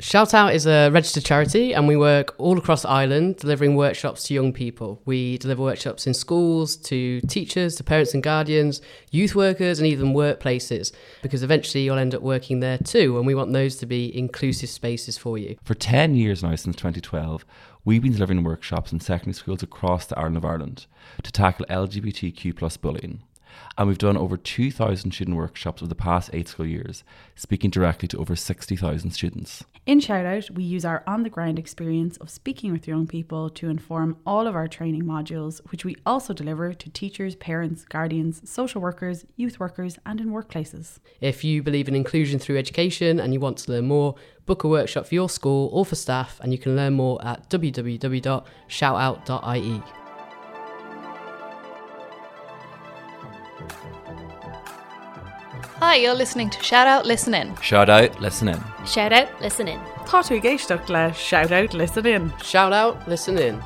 Shout Out is a registered charity and we work all across Ireland delivering workshops to young people. We deliver workshops in schools, to teachers, to parents and guardians, youth workers and even workplaces because eventually you'll end up working there too and we want those to be inclusive spaces for you. For 10 years now since 2012, we've been delivering workshops in secondary schools across the island of Ireland to tackle LGBTQ plus bullying. And we've done over 2,000 student workshops over the past eight school years, speaking directly to over 60,000 students. In Shout Out, we use our on the ground experience of speaking with young people to inform all of our training modules, which we also deliver to teachers, parents, guardians, social workers, youth workers, and in workplaces. If you believe in inclusion through education and you want to learn more, book a workshop for your school or for staff, and you can learn more at www.shoutout.ie. Hi, you're listening to Shout Out Listen In. Shout Out Listen In. Shout Out Listen In. Tá tú ag éisteacht le Shout Out Listen In. Shout Out Listen In.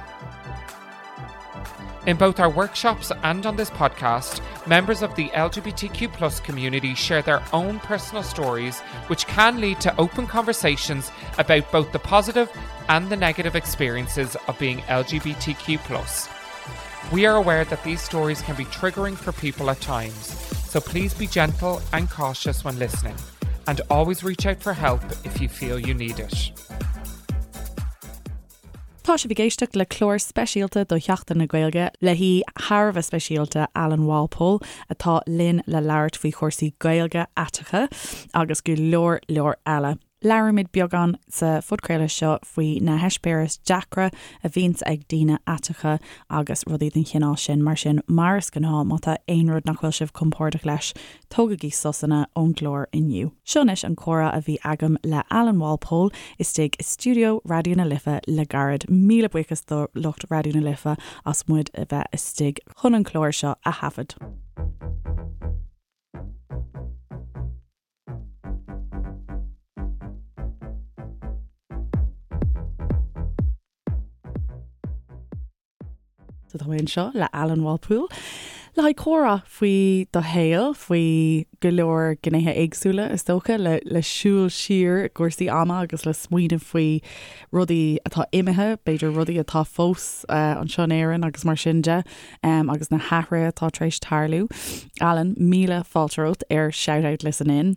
In both our workshops and on this podcast, members of the LGBTQ plus community share their own personal stories, which can lead to open conversations about both the positive and the negative experiences of being LGBTQ plus. We are aware that these stories can be triggering for people at times, so please be gentle and cautious when listening, and always reach out for help if you feel you need it. Tá sibh ag éisteacht le clár speisialta do Sheachtain na Gaeilge le haoi thar a bheith speisialta Alan Walpole atá linn le labhairt faoi chúrsaí Gaeilge aiteacha agus go leor leor eile. Labhraímid beagán sa phodchraoladh seo faoi na heispéiris deacra a bhíonns ag daoine aiteacha agus rudaí den chineál sin. Mar sin, mar is gnáth, má tá aon rud nach bhfuil sibh compordach leis, tógaigí sosanna ón gclár inniu. Seo anois an comhrá a bhí agam le Alan Walpole istigh i stiúideo Raidió na Life le gairid. Míle buíochas do lucht Raidió na Life as muid a bheith istigh chun an clár seo a thaifead. So tá mé anseo le Alan Walpole le haghaidh comhrá faoi do shaol, faoi go leor gnéithe éagsúla is dócha, le le siúl siar i gcúrsaí ama agus le smaoineamh faoi rudaí atá imithe, b'fhéidir rudaí atá fós anseo in Éirinn agus mar sin de. agus na hathruithe atá tar éis tarlú. Alan, míle fáilte romhat ar Shout Out Listen In.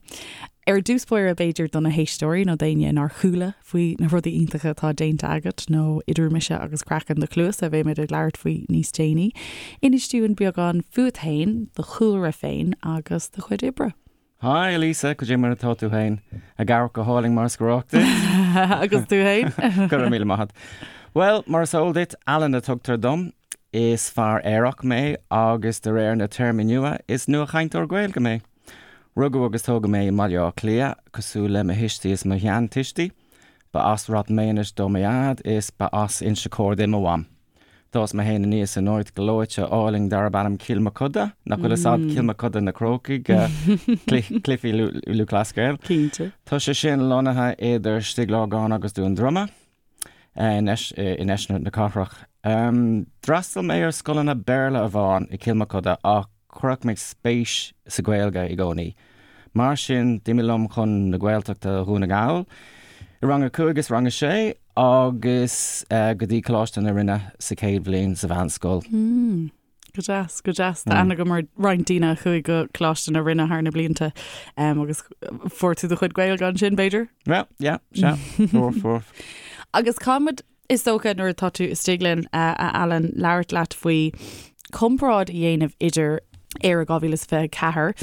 Ar dtús báire b'fhéidir do na héisteoirí nó d'éinne nár chuala faoi na rudaí iontacha atá déanta agat nó idir mise agus craiceann do chluasa a bheimid ag labhairt faoi níos déanaí, inis dúinn beagán fút féin, do chúlra féin agus do chuid oibre. Hi Lisa, cad é mar atá tú féin? Ag amharc go hálainn mar is gnách duit. Agus tú féin? Go raibh míle maith agat. Bhuel, mar is eol duit, Alan a tugtar dom. Is fear aerach mé agus de réir na téarmaí nua, is nuachainteoir Gaeilge mé. Rugadh agus tógadh mé i mBaile Átha Cliath, cosúil le mo thuistí is mo sheantuistí. Ba as Ráth Maonais do mo dhaid is ba as Inse Chór di mo mham. D'fhás mé féin aníos in áit gleoite álainn darb ainm Cill Mochuda, nach bhfuil fhios a'd Cill Mochuda na Crócaigh, Cluichí Lúthchleas Gael. Cinnte. Tá sé sin lonnaithe idir Stigh Lorgáin agus Dún Droma, i ndeisceart na cathrach. D'fhreastail mé ar scoileanna Béarla amháin i Cill Mochuda ach chuirfeadh mé spéis sa Ghaeilge i gcónaí. Mar sin, d'imigh liom chun na Gaeltachta Dhún na nGall i rang a 5 is rang a 6 agus go dtí Coláiste na Rinne sa chéad bhliain sa mheánscoil. Go deas, go deas. Tá aithne agam ar roinnt daoine a chuaigh go Coláiste na Rinne thar na blianta agus fuair tú do chuid Gaeilge ansin, b'fhéidir? Well, yeah, sea, fuair, fuair. Agus caithfimid Is dócha, nuair atá tú istigh linn, a Alan, labhairt leat faoi chomparáid a dhéanamh idir Éire 2024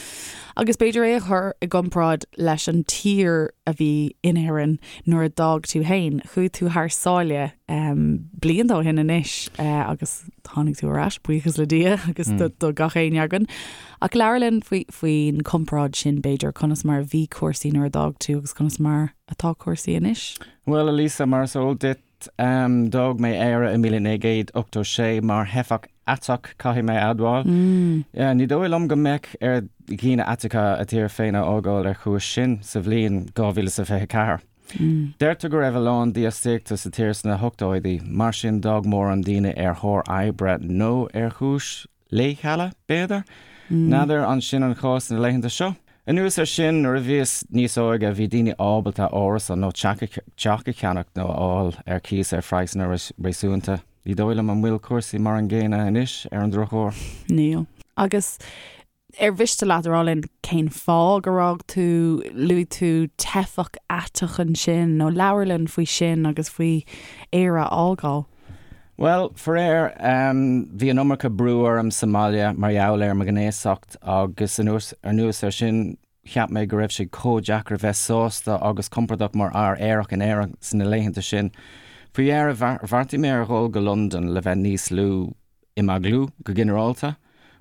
agus b'fhéidir é a chur i gcomparáid leis an tír a bhí in Éirinn nuair a d'fhág tú féin. Chuaigh tú thar sáile blianta ó shin anois agus tháinig tú ar ais, buíochas le Dia agus do gach éinne againn. Ach labhair linn faoin chomparáid sin, b'fhéidir, conas mar a bhí cúrsaí nuair a d'fhág tú agus conas mar atá cúrsaí anois? Bhuel, a Lisa, mar is eol duit, d'fhág mé Éire i 1986 mar theifeach aiteach, caithfidh mé a admháil. Ní dóigh liom go mbeadh ar dhaoine aiteacha a dtír féin a fhágáil ar chúis sin sa bhliain 2024. Deirtear go raibh a lán dífhostaíochta sa tír sna hochtóidí, mar sin d'fhág mórán daoine ar thóir oibre nó ar chúis leithcheala, b'fhéidir? N'fheadar an sin an chás na laethanta seo? Anuas air sin, nuair a bhíos níos óige, bhí daoine ábalta árasán nó teach a cheannach nó a fháil ar cíos ar phraghsanna réasúnta. Ní dóigh liom an bhfuil cúrsaí mar an gcéanna anois, ar an drochuair. Níl. Agus ar mhiste leat a rá linn cén fáth gur fhág tú, luaigh tú teifeach aiteach ansin, nó labhair linn faoi sin agus faoi Éire a fhágáil. Bhuel, faraor, bhí an iomarca brú orm sa mbaile mar gheall ar mo ghnéasacht agus anuas air sin cheap mé go raibh sé chomh deacair a bheith sásta agus compordach mar fhear aerach in Éirinn sna laethanta sin. Faoi dheireadh, bheartaigh mé ar dhul go Londain le bheith níos lú imeaglú go ginearálta.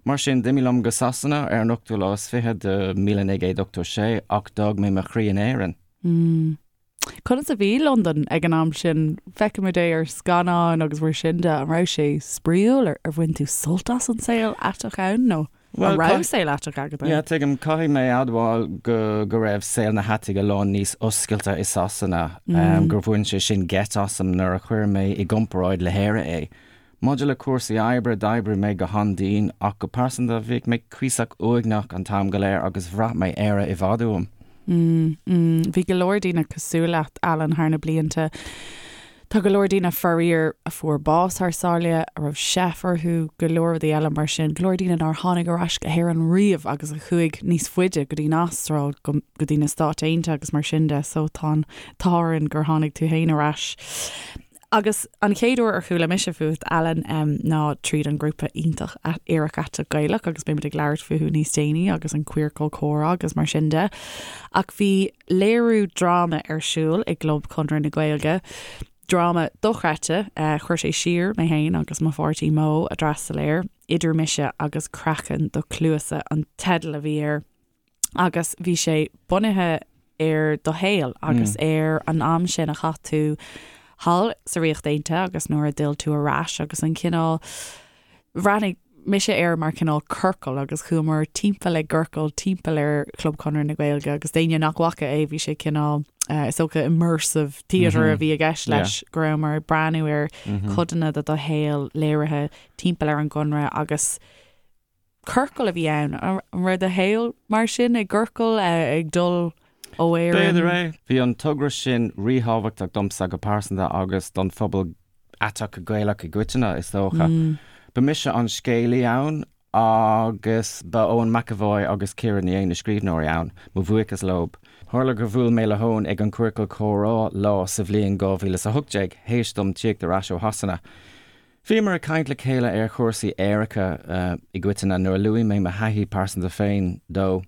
Mar sin, d'imigh liom go Sasana ar an ochtú lá is fiche de 1986 ach d'fhág mé mo chroí in Éirinn. Conas a bhí Londain ag an am sin? Feicimid é ar scannáin agus mar sin de, an raibh sé spraíúil? Ar bhain tú sult as an saol aiteach ann nó an raibh saol aiteach agat ann? Yeah, tuigim. Caithfidh mé a admháil go go raibh saol na haitaigh a lán níos oscailte i Sasana, gur bhain sé sin geit asam nuair a chuir mé i gcomparáid le hÉire é. Maidir le cúrsaí oibre, d'oibrigh mé go han-dian, ach go pearsanta, bhíodh mé cuíosach uaigneach an t-am go léir agus bhraith mé Éire i bhfad uaim. Bhí go leor daoine cosúil leat, Alan, thar na blianta. Tá go leor daoine, faraor, a fuair bás thar sáile, a raibh seif orthu, go leor rudaí eile mar sin. Go leor daoine nár tháinig ar ais go hÉirinn riamh agus a chuaigh níos faide go dtí an Astráil, go dtí na Stáit Aontaithe agus mar sin de. So tá an t-ádh orainn gur tháinig tú féin ar ais. Agus an chéad uair ar chuala mise fút, Alan, ná tríd an grúpa iontach Aerach Aiteach Gaelach agus beimid ag labhairt fúthu níos déanaí agus an Queercal Comhrá agus mar sin de. Ach bhí léiriú dráma ar siúl i gClub Chonradh na Gaeilge, dráma dochreidte, chuir sé siar mé féin agus mo pháirtí Mo a d'fhreastail air, Idir Mise agus Craiceann do Chluasa an teideal a bhí air. agus bhí sé bunaithe ar do shaol agus ar an am sin a chaith tú thall sa Ríocht Aontaithe agus nuair a d'fhill tú ar ais agus an cineál, bhreathnaigh mise air mar cineál ciorcal agus chuamar timpeall i gciorcal timpeall ar Chlub Chonradh na Gaeilge agus d'éinne nach bhfaca é bhí sé cineál is dócha immersive theatre a bhí i gceist leis go rabhamar ag breathnú ar codanna de do shaol léirithe timpeall ar an gConradh agus Ciorcal a bhí ann. An raibh do shaol mar sin, i gciorcal, ag dul ó Éirinn? B'fhéidir é. Bhí an togra sin ríthábhachtach domsa go pearsanta agus don phobal aiteach Gaelach i gcoitinne, is dócha. Ba mise an scéalaí ann agus ba Eoin McEvoy agus Ciara Ní É na scríbhneoirí ann, mo bhuíochas leo. Tharla gur bhuail mé le hEoin ag an Queercal Comhrá lá sa bhliain 2018, théis dom tíocht ar ais ó Shasana. Bhíomar ag caint le chéile ar chúrsaí aeracha i gcoitinne nuair a luaigh mé mo thaithí pearsanta féin dó.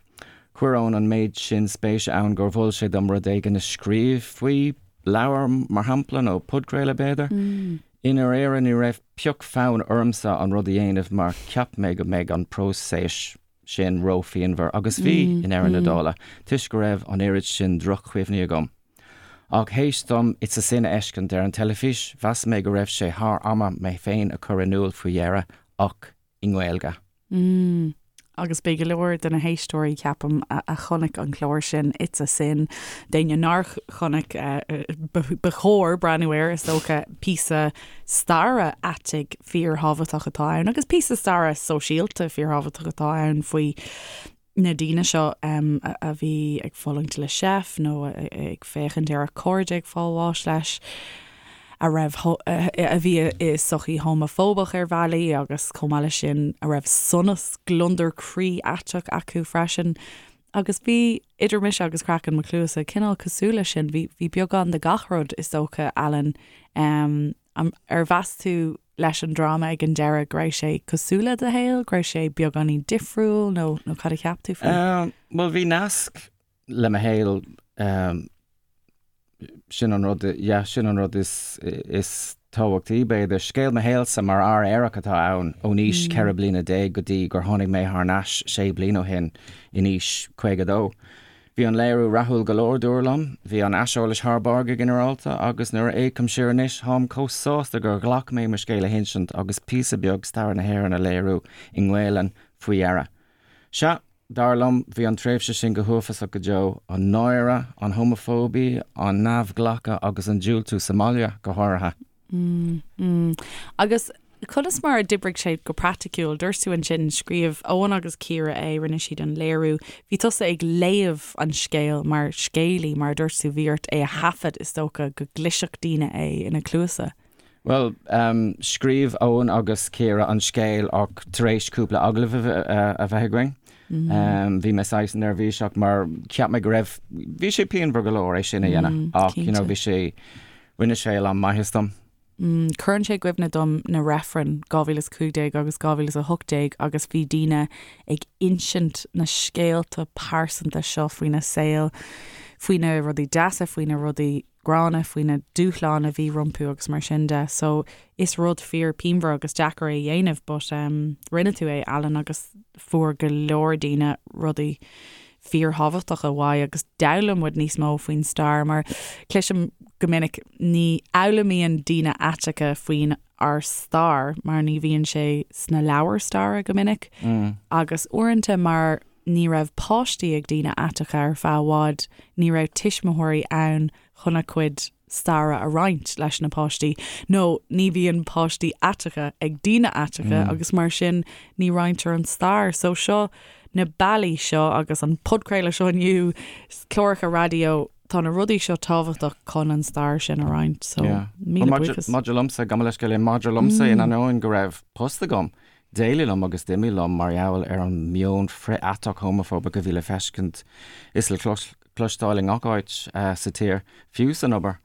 Chuir Eoin an méid sin spéise ann gur mhol sé dom rud éigin a scríobh faoi, leabhar, mar shampla, nó podchraoladh, b'fhéidir. I ndáiríre, ní raibh pioc fonn ormsa an rud a dhéanamh mar cheap mé go mbeadh an próiseas sin ró-phianmhar, agus bhí, i ndeireadh na dála, toisc go raibh an oiread sin droch-chuimhní agam. Ach théis dom It's a Sin a fheiscint ar an teilifís, mheas mé go raibh sé thar ama mé féin a chur in iúl faoi dheireadh, ach i nGaeilge. Mm. Agus beidh go leor de na héisteoirí, ceapaim, a chonaic an clár sin, It's a Sin, d'éinne nár chonaic, ba chóir breathnú air, is dócha, píosa staire aitigh fíorthábhachtach atá ann, agus píosa staire sóisialta fíorthábhachtach atá ann faoi na daoine seo a bhí ag fulaingt le seif nó ag féachaint ar a cairde ag fáil bháis leis, a raibh, a bhí i sochaí homafóbach ar bhealaí agus chomh maith leis sin a raibh sonas, gliondar croí aiteach acu freisin. Agus bhí Idir Mise agus Craiceann Mo Chluasa cineál cosúil leis sin, bhí, bhí beagán de gach rud is dócha, Alan. Ar mheas tú leis an dráma ag an deireadh go raibh sé cosúil le do shaol, go raibh sé beagáinín difriúil nó nó cad a cheap tú faoi? Bhuel bhí nasc le mo shaol, sin an rud, yeah, sin an rud is is tábhachtaí b'fhéidir. Scéal mo shaolsa mar fhear aerach atá ann, ón aois 14 bliana go dtí gur tháinig mé thar n-ais sé bliana ó shin in aois 52. Bhí an léiriú rathúil go leor, dúradh liom. Bhí an aiseolas thar barr go ginearálta agus nuair a fhéachaim siar anois, táim chomh sásta gur ghlac mé mo scéal a hinsint agus píosa beag staire na hÉireann a léiriú i nGaelainn faoi dheireadh. Sea, dar liom, bhí an tréimhse sin go huafásach go deo, an náire, an homafóibe, an neamhghlacadh agus an diúltú sa mbaile, go háirithe. Mm, mm. Agus. Conas mar a d'oibrigh sé go praiticiúil? Dúirt tú ansin, scríobh Eoin agus Ciara é, rinne siad an léiriú. Bhí tusa ag léamh an scéil mar scéalaí, mar a dúirt tú, bhí ort é a thaifead, is dócha, go gcloisfeadh daoine é ina gcluasa. Bhuel, scríobh Eoin agus Ciara an scéal ach tar éis cúpla agallamh a bheith againn, bhí mé saghas neirbhíseach mar cheap mé go raibh, bhí sé pianmhar go leor é sin a dhéanamh ach you know bhí sé, rinne sé a lán maitheas dom. Cuireann sé i gcuimhne dom na reifrinn 2015 agus 2018 agus bhí daoine ag insint na scéalta pearsanta seo faoina saol, faoi na rudaí deasa, faoi na rudaí gránna, faoi na dúshláin a bhí rompu agus mar sin de. So is rud fíor pianmhar agus deacair é a dhéanamh but rinne tú é Alan agus fuair go leor daoine rudaí fíorthábhachtacha uaidh agus d'fhoghlaim muid níos mó faoin stair mar cloisim go minic ní fhoghlaimíonn daoine aiteacha faoin ár stair mar ní bhíonn sé sna leabhair staire go minic agus uaireanta mar ní raibh páistí ag daoine aiteacha ar feadh i bhfad ní raibh tuismitheoirí ann chun a gcuid staire a roinnt leis na páistí, nó ní bhíonn páistí aiteacha ag daoine aiteacha agus mar sin ní roinntear an stair. So seo na bealaí seo agus an podchraoladh seo inniu, cláracha raidió, tá na rudaí seo tábhachtach chun an stair sin a roinnt. So míle buíochas. Maidir liomsa, gabh mo leithscéal, maidir liomsa in ainneoin go raibh post agam, d'éiligh liom agus d'imigh liom mar gheall ar an meon frith-aiteach homafóbach a bhí le feiscint is le cloisteáil i ngach áit sa tír, fiú san obair,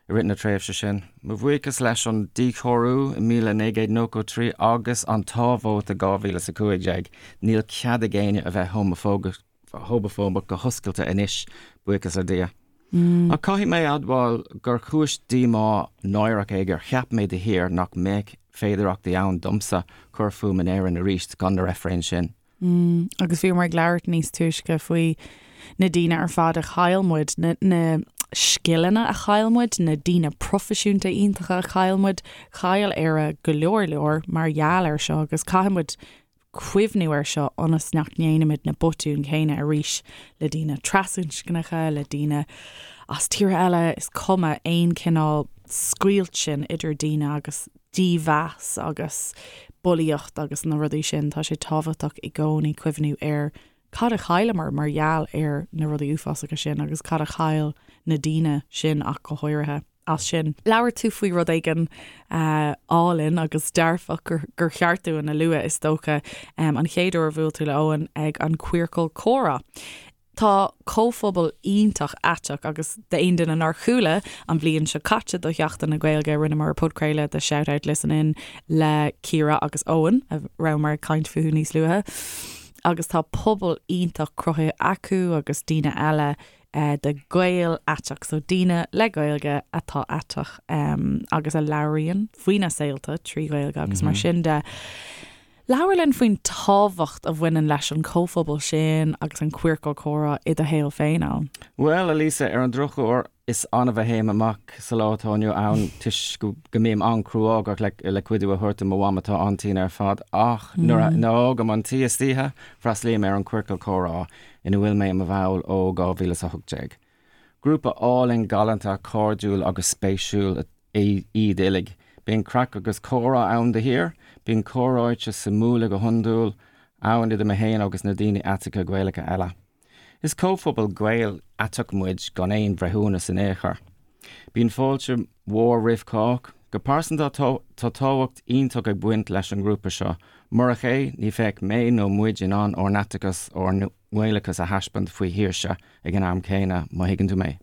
i rith na tréimhse sin. Mo bhuíochas leis an díchóiriú i 1993 agus an tá-vóta 2015, níl cead ag éinne a bheith homafóbach go hoscailte anois, buíochas le Dia. Ach caithfidh mé a admháil gur chúis díomá náireach é gur cheap mé de shíor nach mbeadh féidearthachtaí ann domsa cur fúm in Éirinn arís gan na reifrinn sin. Agus bhíomar ag labhairt níos túisce faoi na daoine ar fad a chaill muid, na, na scileanna a chaill muid, na daoine proifisiúnta iontacha a chaill muid. Chaill Éire go leor leor mar gheall air seo agus caithfidh muid cuimhniú air seo ionas nach ndéanaimid na botúin chéanna arís le daoine trasinscneacha, le daoine as tíortha eile, is cuma, aon chineál scoilt sin idir daoine agus dímheas agus bulaíocht agus na rudaí sin, tá sé tábhachtach i gcónaí cuimhniú ar cad a chailleamar mar gheall ar na rudaí uafásacha sin agus cad a chaill na daoine sin ach go háirithe as sin. Labhair tú faoi rud éigin álainn agus dearfach gur cheart dúinn a lua, is dócha, an chéad uair a bhuail tú le Eoin ag an Queercal Comhrá. Tá comhphobal iontach aiteach agus d'aon duine nár chuala an bhliain seo caite do Sheachtain na Gaeilge rinneamar podchraoladh de Shout Out Listen In le Ciara agus Eoin a rabhamar ag caint fúthu níos luaithe agus tá pobal iontach cruthaithe acu agus daoine eile de Gael aiteach so daoine le Gaeilge atá aiteach agus a labhraíonn faoina saolta trí Ghaeilge agus mar sin de. Labhair linn faoin tábhacht a bhaineann leis an chomhphobal sin agus an Queercal Comhrá i do shaol féin, Alan. Bhuel, a Lisa, ar an drochuair, is annamh a théim amach sa lá atá inniu ann toisc go mbím an-chruógach le cuidiú a thabhairt do mo mham atá an-tinn ar fad ach nuair a fhágaim an tí istoíche, freastalaím ar an Queercal Comhrá ina bhfuil mé i mo bhall ó 2018. Grúpa álainn, galánta, cairdiúil agus spéisiúil iad uilig. Bíonn craic agus comhrá ann de shíor. Bíonn comhráite suimiúla go hiondúil ann idir mé féin agus na daoine aiteacha Gaelacha eile. Is comhphobal Gael aiteach muid gan aon bhreithiúnas in aon chor. Bíonn fáilte mhór roimh chách. Go pearsanta tá tábhacht iontach ag baint leis an ngrúpa seo. Murach é, ní bheadh mé nó muid in ann ár n-aiteachas, ár nGaelachas a thaispeáint faoi shaoirse ag an am céanna, má thuigeann tú mé.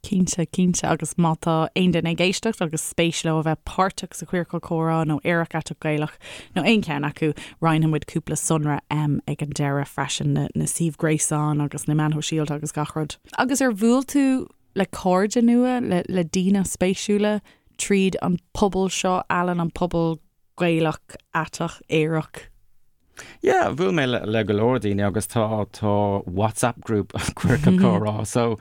Cinnte, cinnte, agus má tá aon duine ag éisteacht agus spéis leo a bheith páirteach sa Queercal Comhrá nó Aerach Aiteach Gaelach nó aon cheann acu, roinnfidh muid cúpla sonra ag an deireadh freisin, na suímh gréasáin agus na meáin shóisialta agus gach rud. Agus ar bhuail tú le cairde nua, le daoine spéisiúla tríd an pobal seo, Alan, an pobal Gaelach, aiteach, aerach? Yeah, bhuail mé le go leor daoine agus tá tá WhatsApp group Queercal Comhrá so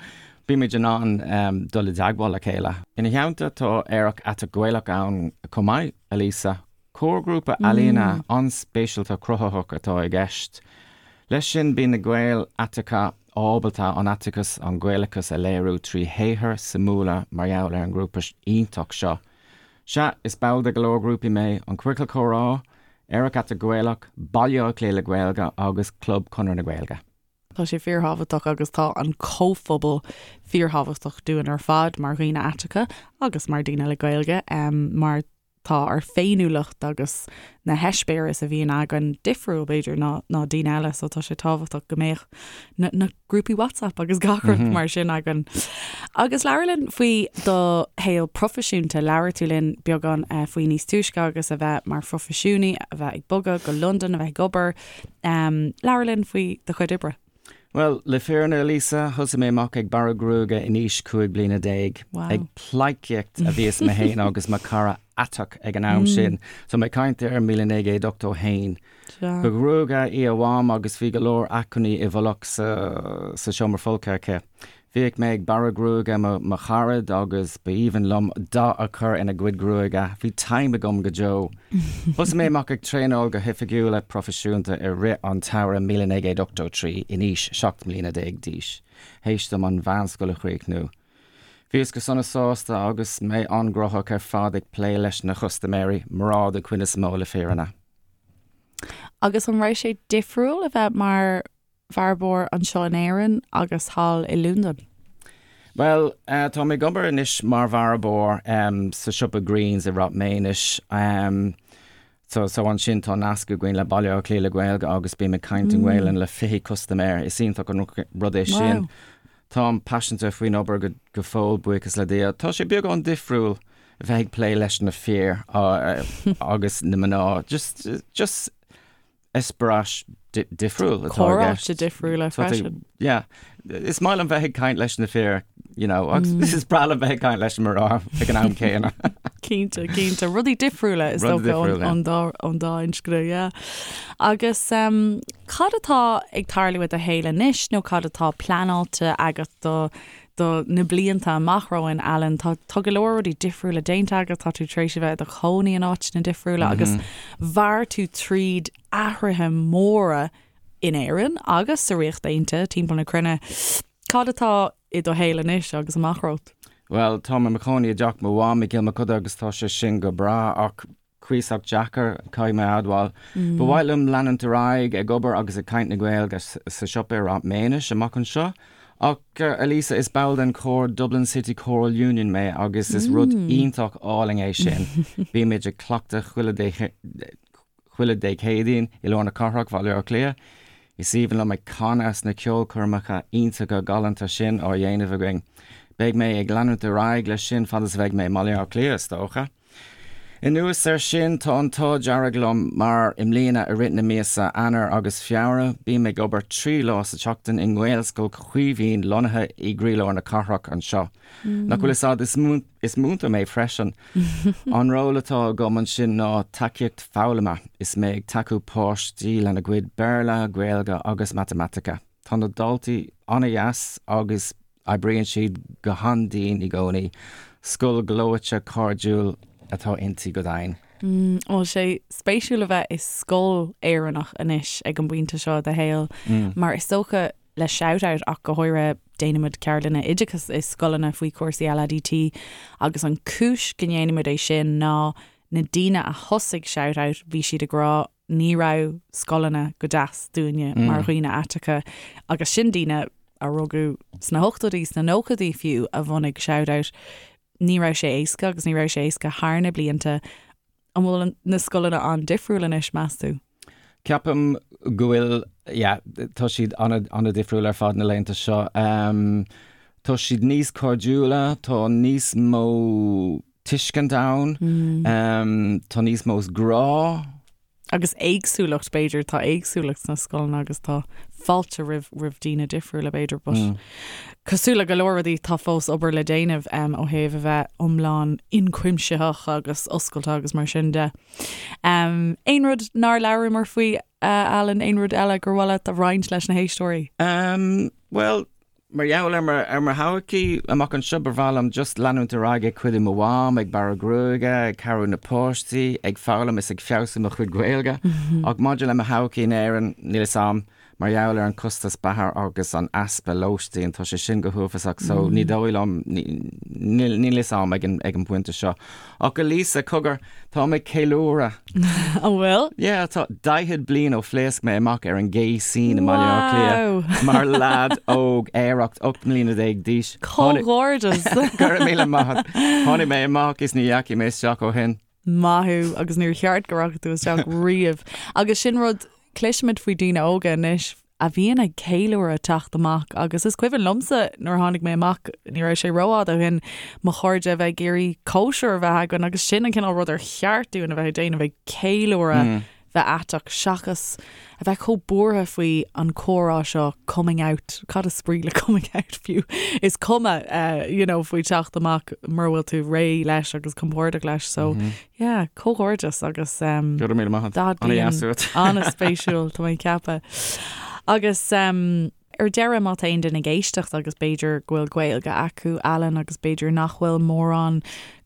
bímid in ann dul i dteagmháil le chéile. Ina theannta tá Aerach Aiteach Gaelach ann chomh maith, a Lisa. Comharghrúpa ealaíne an-speisialta cruthaitheach atá i gceist. Leis sin bíonn na Gaeil aiteacha ábalta an aiteachas, an Gaelachas a léiriú trí shaothair suimiúla mar gheall ar an ngrúpa iontach seo. Sea, is ball de go leor grúpaí mé, an Ciorcal Comhrá, Aerach Aiteach Gaelach, Baile Átha Cliath le Gaeilge agus Club Chonradh na Gaeilge. Tá sé fíorthábhachtach agus tá an comhphobal fíorthábhachtach dúinn ar fad mar dhaoine aiteacha agus mar daoine le Gaeilge mar tá ár féiniúlacht agus na heispéiris a bhíonn againn difriúil b'fhéidir ná ná daoine eile so tá sé tábhachtach go mbeadh na na grúpaí WhatsApp agus gach rud mar sin againn. Agus labhair linn faoi do shaol proifisiúnta, labhair tú linn beagán faoi níos túisce agus a bheith mar phroifisiúnaí, a bheith ag bogadh go Londain, a bheith ag obair. Labhair linn faoi do chuid oibre. Bhuel, le fírinne, Lisa, thosaigh mé amach ag bearradh gruaige in aois 15 bliana. Ag pleidhcíocht a bhíos mé féin agus mo chara aiteach ag an am sin, so mé ag caint ar 1981. Ba ghruagaire í a mham agus bhí go leor acmhainní i bhfolach sa sa seomra folctha aici. Bhíodh mé ag bearradh gruaige mo mo charad agus ba aoibhinn liom dath a chur ina gcuid gruaige. Bhí taim agam go deo. Thosaigh mé amach ag traenáil go hoifigiúil proifisiúnta i rith an tsamhraidh 1983 in aois 17 mbliana d'aois, théis dom an mheánscoil a chríochnú. Bhíos go sona sásta agus mé an-ghnóthach ar fad ag plé leis na custaiméirí, mná den chuid is mó le fírinne. Agus an raibh sé difriúil a bheith mar bhearbóir anseo in Éirinn agus thall i Londain? Bhuel, tá mé ag obair anois mar bhearbóir sa siopa Greens i Ráth Maonais. So, so ansin tá nasc againn le Baile Átha Cliath le Gaeilge agus bím ag caint i nGaelainn le 20 custaiméir. Is iontach an rud é sin. Táim paiseanta faoin obair go, go fóill, buíochas le Dia. Tá sé beagán difriúil a bheith ag plé leis na fir agus na mná. Just, just eispéireas difriúil atá i gceist. Comhráite difriúla freisin. Yeah. Is maith liom bheith ag caint leis na fir, you know, agus is breá liom bheith ag caint leis na mná ag an am céanna. Cinnte, cinnte. Rudaí difriúla is dócha ón dá ón dá inscne, yeah. Agus um, cad atá ag tarlú i do shaol anois nó cad atá pleanáilte agat do do na blianta amach romhainn, Alan. Tá tá go leor rudaí difriúla déanta agat, tá tú tar éis a bheith i do chónaí in áiteanna difriúla agus mhair tú tríd athruithe móra in Éirinn agus sa Ríocht Aontaithe, timpeall na cruinne. Cad atá i do shaol anois agus amach romhat? Bhuel, táim i mo chónaí i dteach mo mham i gCill Mochuda agus tá sé sin go breá ach cuíosach deacair, caithfidh mé a admháil. Ba mhaith liom leanúint ar aghaidh ag obair agus ag caint na Gaeilge sa siopa i Ráth Maonais amach anseo. Ach, a Lisa, is ball den chór Dublin City Choral Union mé agus is rud iontach álainn é sin. Bímid ag cleachtadh chuile chuile Dé Céadaoin i lár na cathrach, Bhaile Átha Cliath. Is aoibhinn liom ag canadh sna ceolchoirmeacha iontacha galánta sin á dhéanamh againn. Beidh mé ag leanúint ar aghaidh leis sin fad is a bheidh mé i mBaile Átha Cliath, is dócha. Anuas air sin, tá an t-ádh dearg liom mar i mbliana i rith na míosa Eanáir agus Feabhra, bím ag obair 3 lá sa tseachtain i nGaelscoil Chaoimhín lonnaithe i gcroílár na cathrach anseo. Nach bhfuil fhios a'd, is múinteoir mé freisin. An ról atá agam ansin ná tacaíocht foghlama, is mé ag tacú páistí lena gcuid Béarla, Gaeilge agus Matamaitice. Tá na daltaí an-deas agus Oibríonn siad go han-dian i gcónaí. Scoil ghleoite cairdiúil atá inti go deimhin. An bhfuil sé spéisiúil a bheith i scoil Éireannach anois ag an bpointe seo i do shaol mar is dócha le Shout Out ach go háirithe déanaimid ceardlanna oideachais i scoileanna faoi chúrsaí LADT agus an cúis go ndéanaimid é sin ná na daoine a thosaigh Shout Out bhí siad ag rá ní raibh scoileanna go deas dúinne mar dhaoine aiteacha agus sin daoine a rugadh sna hochtóidí, sna nóchaidí fiú a bhunaigh Shout Out. Ní raibh sé éasca agus ní raibh sé éasca thar na blianta. An bhfuil na scoileanna an-difriúil anois, meas tú? Ceapaim go bhfuil, yeah, tá siad an-difriúil ar fad na laethanta seo. Tá siad níos cairdiúla, tá níos mó tuiscint ann, tá níos mó grá. Agus éagsúlacht, b'fhéidir, tá éagsúlacht sna scoileanna agus tá fáilte roimh roimh daoine difriúla, b'fhéidir, but cosúil le go leor rudaí, tá fós obair le déanamh ó thaobh a bheith iomlán ionchuimsitheach agus oscailte agus mar sin de. Aon rud nár labhramar faoi, Alan, aon rud eile gur mhaith leat a roinnt leis na héisteoirí? Bhuel, Mar gheall ar mo, ar mo thodhchaí amach anseo, ba bhreá liom just leanúint ar aghaidh ag cuidiú mo mham, ag bearradh gruaige, ag cabhrú na páistí, ag foghlaim is ag feabhsú mo chuid Gaeilge. Ach maidir le mo thodhchaí in Éirinn, níl fhios a'm. Mar gheall ar an costas beatha agus an easpa lóistín, tá sé sin go huafásach so ní dóigh liom, níl fhios a'm ag an ag an bpointe seo. Ach a Lisa, cogar, táim ag ceiliúradh. An bhfuil? Yeah, tá 40 bliain ó phléasc mé amach ar an gay scene i mBaile Átha Cliath mar leaid óg aerach 18 mbliana d'aois. Comhghairdeas! Go raibh míle maith agat. Tháinig mé amach is ní dheachaigh mé isteach ó shin. Maith thú agus níor cheart go rachaidh tú isteach riamh. Agus sin rud, cloisimid faoi daoine óga anois a bhíonn ag ceiliúradh teacht amach agus is cuimhin liomsa nuair a tháinig mé amach, ní raibh sé rófhada ó shin, mo chairde a bheith ag iarraidh cóisir a bheith againn agus sin an cineál rud ar cheart dúinn a bheith ag déanamh, ag ceiliúradh bheith aiteach seachas a bheith chomh buartha faoi an comhrá seo coming out, cad is brí le coming out fiú? Is cuma you know faoi teacht amach mura bhfuil tú réidh leis agus compordach leis so yeah, comhghairdeas agus um, Go raibh míle maith agat. Ana-dheas uait. An-spéisiúil tá mé ag ceapadh. Agus um, Ar deireadh, má tá aon duine ag éisteacht agus b'fhéidir go bhfuil Gaeilge acu, Alan, agus b'fhéidir nach bhfuil mórán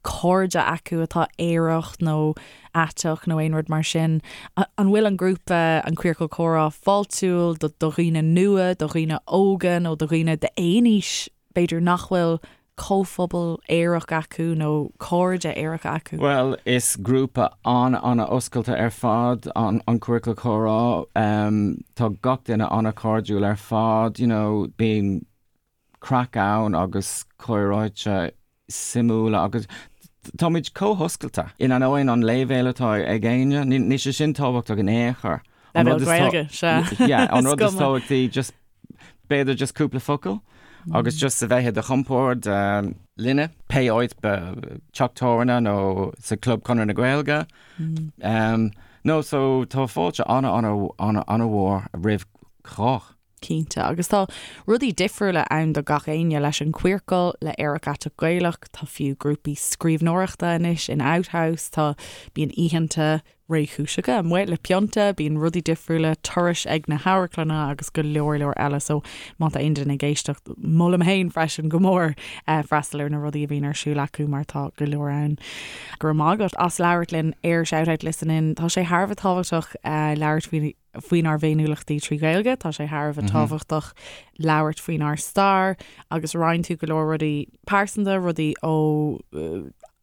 cairde acu atá aerach nó aiteach nó aon rud mar sin, an bhfuil an grúpa, an Queercal Comhrá, fáiltiúil do dhaoine nua, do dhaoine óga nó do dhaoine d'aon aois b'fhéidir nach bhfuil comhphobal aerach acu nó cairde aeracha acu? Bhuel, is grúpa an-an-oscailte ar fad an an Queercal Comhrá. Tá gach duine an-chairdiúil ar fad, you know, bíonn craic ann agus comhráite suimiúla agus táimid chomh hoscailte. In ainneoin an leibhéal atá ag éinne, níl sé sin tábhachtach in aon chor. Leibhéal Gaeilge, sea. Yeah, an rud is tábhachtaí just b'fhéidir just cúpla focal agus just a bheith i do chompord linne, pé áit, teach tábhairne nó sa Club Conradh na Gaeilge. No, so tá fáilte ana ana ana ana mhór roimh chách. Cinnte, agus tá rudaí difriúla ann do gach éinne, leis an Queercal, le Aerach Aiteach Gaelach, tá fiú grúpaí scríbhneoireachta anois in Outhouse, tá, bíonn oícheanta réchúiseacha amuigh le pionta, bíonn rudaí difriúla, turais ag na hamharclanna agus go leor leor eile so má tá aon duine ag éisteacht, molaim féin freisin go mór freastal ar na rudaí a bhíonn ar siúl acu mar tá go leor ann. Go raibh maith agat as labhairt linn ar Shout Out Listen In. Tá sé thar a bheith tábhachtach labhairt faoi faoinár bhféiniúlachtaí trí Ghaeilge, tá sé thar a bheith tábhachtach labhairt faoinár stair agus roinn tú go leor rudaí pearsanta, rudaí ó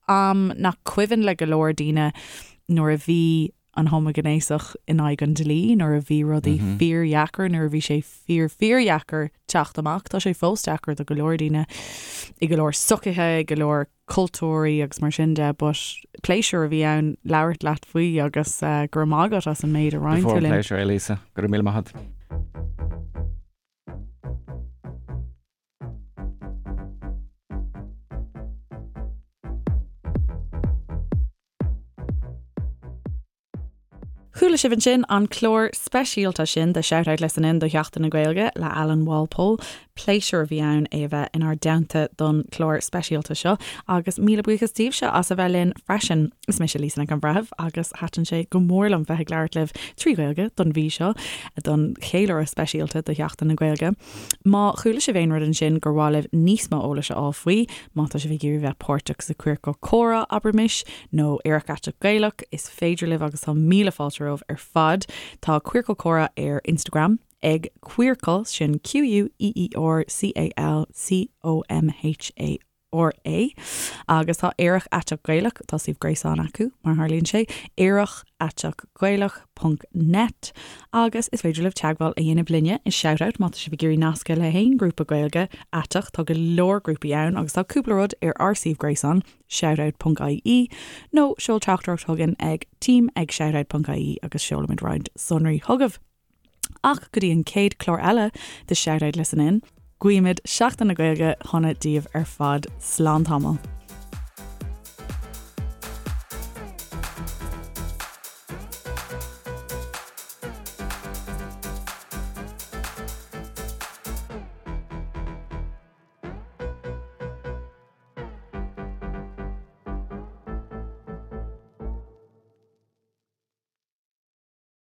am nach cuimhin le go leor daoine nuair a bhí an homaighnéasach in aghaidh an dlí, nuair a bhí rudaí fíordheacair, nuair a bhí sé fíor fíordheacair teacht amach. Tá sé fós deacair do go leor daoine i go leor sochaithe, i go leor cultúirí agus mar sin de, but pléisiúr a bhí ann labhairt leat faoi agus go raibh maith agat as an méid a roinn tú linn. Pléisiúr é Lisa, go raibh míle maith agat. Chuala sibh ansin an clár speisialta sin de Shout Out Listen In do Sheachtain na Gaeilge le Alan Walpole. Pléisiúr a bhí ann é a bheith inár dteannta don chlár speisialta seo agus míle buíochas daoibhse as a bheith linn freisin. Is mise Lisa Nic an Bhreithimh agus thaitin sé go mór liom bheith ag labhairt libh trí Ghaeilge don mhí seo don cheiliúradh speisialta do Sheachtain na Gaeilge. Má chuala sibh aon rud ansin gur mhaith libh níos mó eolais a fháil faoi, má tá sibh ag iarraidh bheith páirteach sa Queercal Comhrá, abraimis, nó Aerach Aiteach Gaelach, is féidir libh agus tá míle fáilte romhaibh ar fad. Tá Queercal Comhrá ar Instagram ag Queercal, sin Q-U-E-E-R-C-A-L-C-O-M-H-A. R-A, agus tá Aerach Aiteach Gaelach, tá suíomh gréasáin acu, mar tharlaíonn sé, aerachaiteachgaelach ponc net, agus is féidir libh teagmháil a dhéanamh linne i Shoutout má tá sibh ag iarraidh nascadh le haon ghrúpa Gaeilge aiteach, tá go leor grúpaí ann agus tá cúpla rud ar ár suíomh gréasáin, shoutout ponc ie, nó seol teachtaireacht chugainn ag team ag shoutout ponc ie agus seolfaimid roinnt sonraí chugaibh. Ach go dtí an chéad chlár eile de Shout Out Listen In, guímid Seachtain na Gaeilge shona daoibh ar fad. Slán tamall.